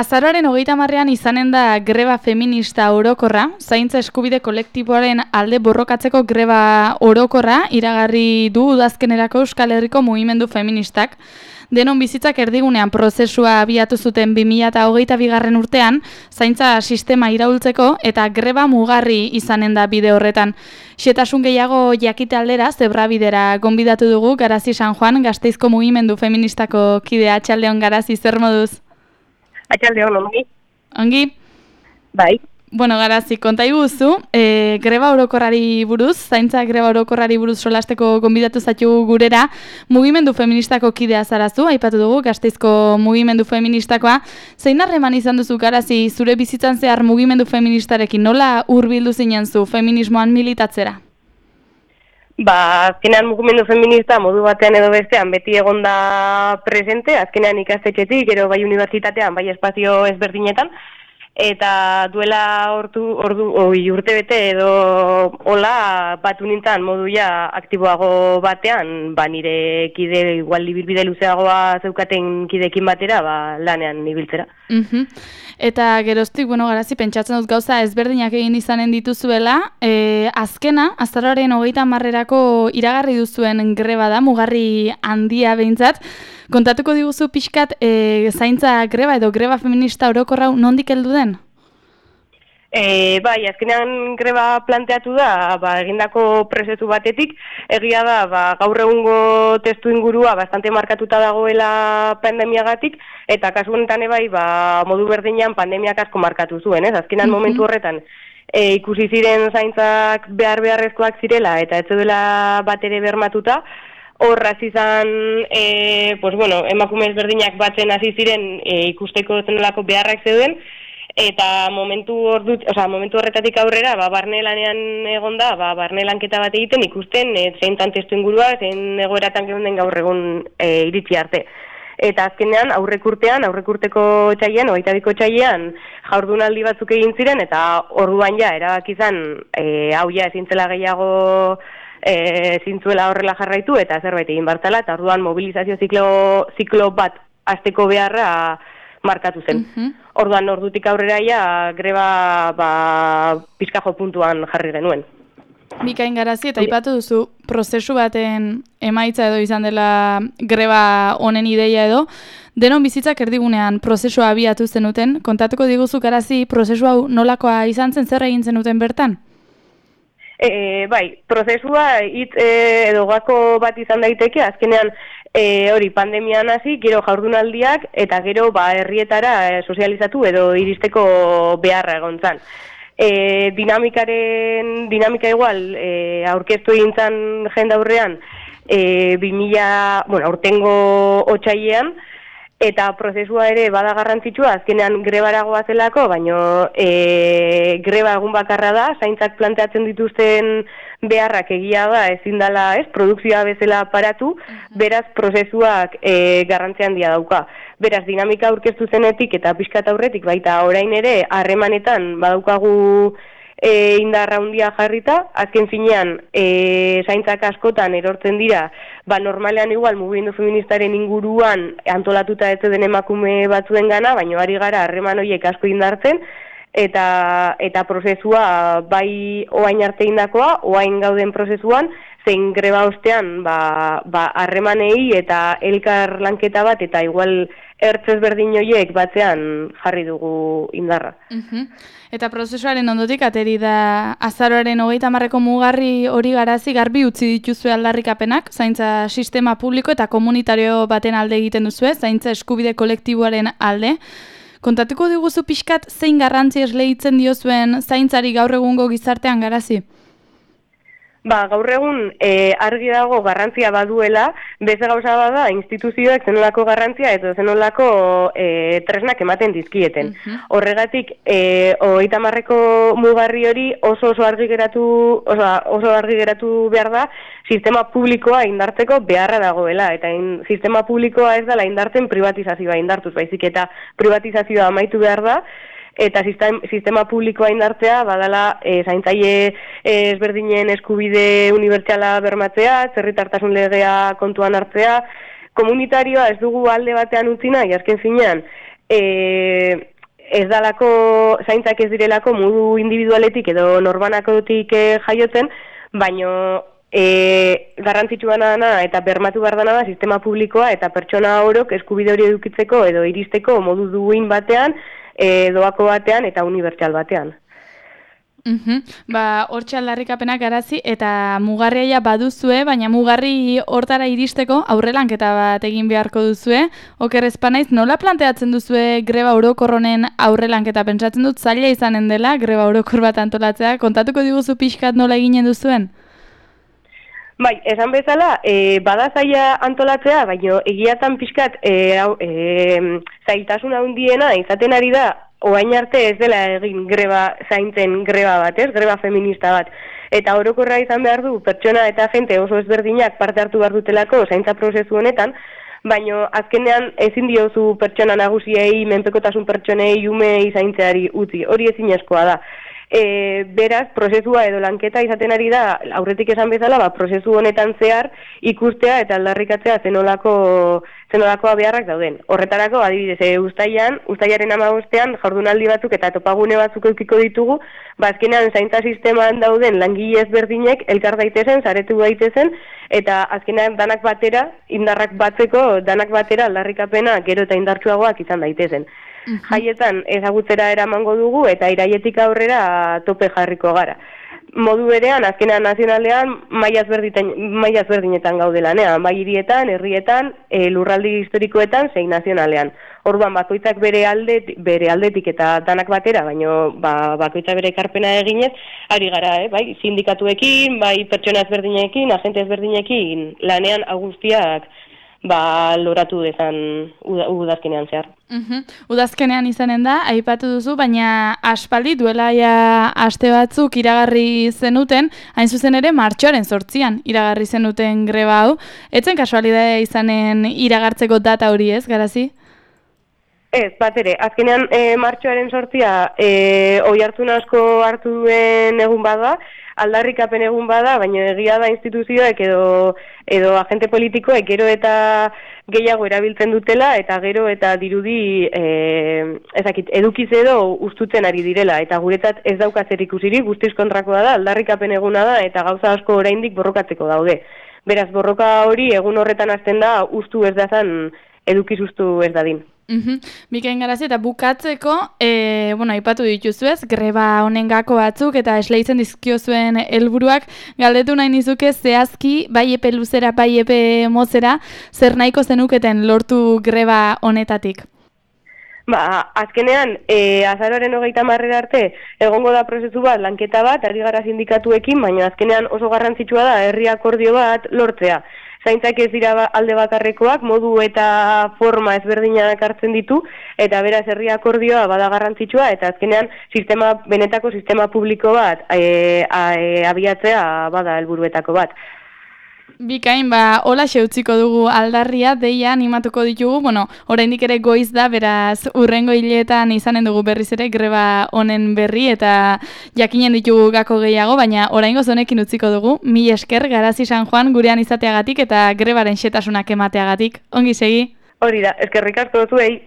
Azaroaren 30ean izanen da greba feminista orokorra, zaintza eskubide kolektiboaren alde borrokatzeko greba orokorra iragarri du udazkenerako Euskal Herriko mugimendu feministak. Denon bizitzak erdigunean prozesua abiatu zuten 2022 urtean, zaintza sistema iraultzeko eta greba mugarri izanen da bide horretan. Xetasun gehiago jakite aldera, Zebrabidera gonbidatu dugu Garazi San Juan, Gasteizko mugimendu feministako kidea. Atxaldeon Garazi, zer moduz? Atxaldeon, ongi? Ongi? Bai. Bueno, Garazi, konta iguzu, greba orokorrari buruz, zaintza greba orokorrari buruz solasteko gonbidatu zaitu gurera, mugimendu feministako kidea zarazu, aipatu dugu, Gasteizko mugimendu feministakoa. Zein harreman izan duzu, Garazi, zure bizitzan zehar mugimendu feministarekin, nola hurbildu zinen zu feminismoan militatzera? Azkenean mugimendu feminista modu batean edo bestean beti egonda presente, azkenean ikastetxetik, gero bai unibertsitatean, bai espazio ezberdinetan, eta duela urte bete edo hola batu nintzen modu ja aktiboago batean, nire kide igual ibilbide luzeagoa zeukaten kidekin batera, lanean ibiltzera. Eta geroztik, Garazi, pentsatzen dut gauza ezberdinak egin izanen dituzuela, azkena, azaroaren 30erako iragarri duzuen greba da, mugarri handia behintzat. Kontatuko diguzu pixkat zaintza greba edo greba feminista orokorra nondik heldu den? Bai, azkenean greba planteatu da, egindako prozesu batetik, egia da, gaur egungo testu ingurua bastante markatuta dagoela pandemiagatik, eta kasu honetan bai, modu berdinean pandemiak asko markatu zuen, ez? Azkenean momentu horretan, ikusi ziren zaintzak beharrezkoak zirela, eta ez dela bat ere bermatuta, horraz izan, emakume ezberdinak batzen hasi ziren ikusteko zenolako beharrak zeuden, eta momentu horretatik aurrera, barne lanean egonda, barne lanketa bat egiten ikusten, zeintan testu ingurua, zein egoeratan geunden gaur egun iritsi arte. Eta azkenean, aurrekurteko txailean, 22ko txailean, jaurdunaldi batzuk egin ziren, eta orduan ja, erabaki izan, hau ja ezintzela gehiago zintzuela horrela jarraitu, eta zerbait egin bartala, eta orduan mobilizazio ziklo bat hasteko beharra markatu zen. Orduan ordutik aurrera ja greba pizkajo puntuan jarri genuen. Bikain Garazi, eta aipatu duzu prozesu baten emaitza edo izan dela greba honen ideia edo, denon bizitzak erdigunean prozesua abiatu zenuten, kontatuko diguzu Garazi, prozesu hau nolakoa izan zen, zer egin zenuten bertan? Bai, prozesua hitz edo gako bat izan daiteke, azkenean pandemian hasi, gero jaurdunaldiak, eta gero herrietara sozializatu edo iristeko beharra egon zan. Dinamika igual, aurkeztu egin zan jende aurrean, aurtengo otsailean, eta prozesua ere bada garrantzitsua, azkenean grebaragoa zelako, baino greba egun bakarra da, zaintzak planteatzen dituzten beharrak egia da, ezin dela, produkzioa bezala paratu, beraz prozesuak garrantzia handia dauka. Beraz, dinamika aurkeztu zenetik eta pixkat aurretik, baita orain ere harremanetan badaukagu indarra handia jarrita, azken finean zaintzak askotan erortzen dira, normalean igual mugimendu feministaren inguruan antolatuta ez den emakume batzuen gana, baina ari gara harreman horiek asko indartzen, eta prozesua bai oain arte indakoa, oain gauden prozesuan, zein greba ostean harremanei eta elkar lanketa bat, eta igual ertzez berdin horiek batzean jarri dugu indarra. Eta prozesuaren ondotik ateri da azaroaren 30erako mugarri hori Garazi garbi utzi dituzue aldarrikapenak, zaintza sistema publiko eta komunitario baten alde egiten duzue, zaintza eskubide kolektiboaren alde. Kontatuko diguzu pixkat zein garrantzi esleitzen diozuen zaintzari gaur egungo gizartean Garazi? Gaur egun argi dago garrantzia baduela, beste gauza bada instituzioek zenolako garrantzia eta zenolako tresnak ematen dizkieten. Horregatik, 30erako mugarri hori oso argi geratu behar da sistema publikoa indartzeko beharra dagoela, eta sistema publikoa ez dela indartzen privatizazioa indartuz, baizik eta privatizazioa amaitu behar da, eta sistema publikoa indartzea badala zaintzaile ezberdinen eskubide unibertsala bermatzea, herritartasun legea kontuan hartzea, komunitarioa ez dugu alde batean utzi nahi, azken finean ez dalako, zaintzak ez direlako modu individualetik edo norbanakotik jaiotzen, baino garrantzitsua dana eta bermatu behar dana da sistema publikoa eta pertsona orok eskubide hori edukitzeko edo iristeko modu duin batean, doako batean eta unibertsal batean. Hortxe aldarrikapenak garazi eta mugarria baduzue, baina mugarri hortara iristeko aurrelanketa bat egin beharko duzue. Oker ez banaiz, nola planteatzen duzue greba orokor honen aurrelanketa? Pentsatzen dut zaila izanen dela greba orokor bat antolatzea. Kontatuko diguzu pixkat nola eginen duzuen? Bai, esan bezala, bada zaila antolatzea, baina egiatan pixkat zailtasun handiena izaten ari da, orain arte ez dela egin zaintzen greba bat, greba feminista bat. Eta orokorra izan behar du, pertsona eta jente oso ezberdinak parte hartu behar dutelako zaintza prozesu honetan, baina azkenean ezin diozu pertsona nagusiei, menpekotasun pertsonei, umei zaintzeari utzi, hori ezinezkoa da. Beraz, prozesua edo lanketa izaten ari da, aurretik esan bezala, prozesu honetan zehar ikustea eta aldarrikatzea zenolako beharrak dauden. Horretarako, adibidez, uztailaren 15ean jardunaldi batzuk eta topagune batzuk eukiko ditugu, azkenean zaintza sisteman dauden langile ezberdinek elkar daitezen, saretu daitezen, eta azkenean danak batera, indarrak batzeko, danak batera aldarrikapena gero eta indartsuagoak izan daitezen. Jaietan ezagutzera eramango dugu eta iraietik aurrera tope jarriko gara. Modu berean, azkenean nazionalean maila ezberdinetan gaude lanean, bai hirietan, herrietan, lurraldi historikoetan, zein nazionalean. Orduan bakoitzak bere aldetik eta danak batera, baino bakoitzak bere ekarpena eginez, ari gara, bai sindikatuekin, bai pertsona ezberdinekin, agente ezberdinekin, lanean guztiak loratu dezan udazkenean zehar. Udazkenean izanen da, aipatu duzu, baina aspaldi duela aste batzuk iragarri zenuten, hain zuzen ere martxoaren 8an iragarri zenuten greba hau. Etzen kasualidadea izanen iragartzeko data hori ez, Garazi? Ez, bat ere, azkenean martxoaren 8a oihartzun asko hartu duen egun bada, aldarrikapen egun bada, baina egia da instituzioek edo agente politikoek gero eta gehiago erabiltzen dutela eta gero eta dirudi edukiz edo ustutzen ari direla eta guretzat ez dauka zer ikusirik, guztiz kontrakoa da, aldarrikapen eguna da eta gauza asko oraindik borrokatzeko daude. Beraz, borroka hori egun horretan hasten da ustu ez dazan edukiz ustu ez dadin. Bikain Garazi, eta bukatzeko, aipatu dituzuez, greba honen gako batzuk eta esleitzen dizkiozuen helburuak galdetu nahi nizuke zehazki, bai epe luzera, bai epe mozera, zer nahiko zenuketen lortu greba honetatik? Azkenean, azaroaren 30 arte, egongo da prozesu bat, lanketa bat, ari gara sindikatuekin, baina azkenean oso garrantzitsua da herri akordio bat lortzea. Zaintzak ez dira alde bakarrekoak, modu eta forma ezberdinak hartzen ditu, eta beraz herri akordioa bada garrantzitsua, eta azkenean benetako sistema publiko bat abiatzea bada helburuetako bat. Bikain, hola utziko dugu aldarria, deia animatuko ditugu, oraindik ere goiz da, beraz urrengo hileetan izanen dugu berriz ere greba honen berri eta jakinen ditugu gako gehiago, baina oraingoz honekin utziko dugu. Mil esker, Garazi San Juan gurean izateagatik eta grebaren xetasunak emateagatik. Ongi segi? Hori da, eskerrik asko zuei.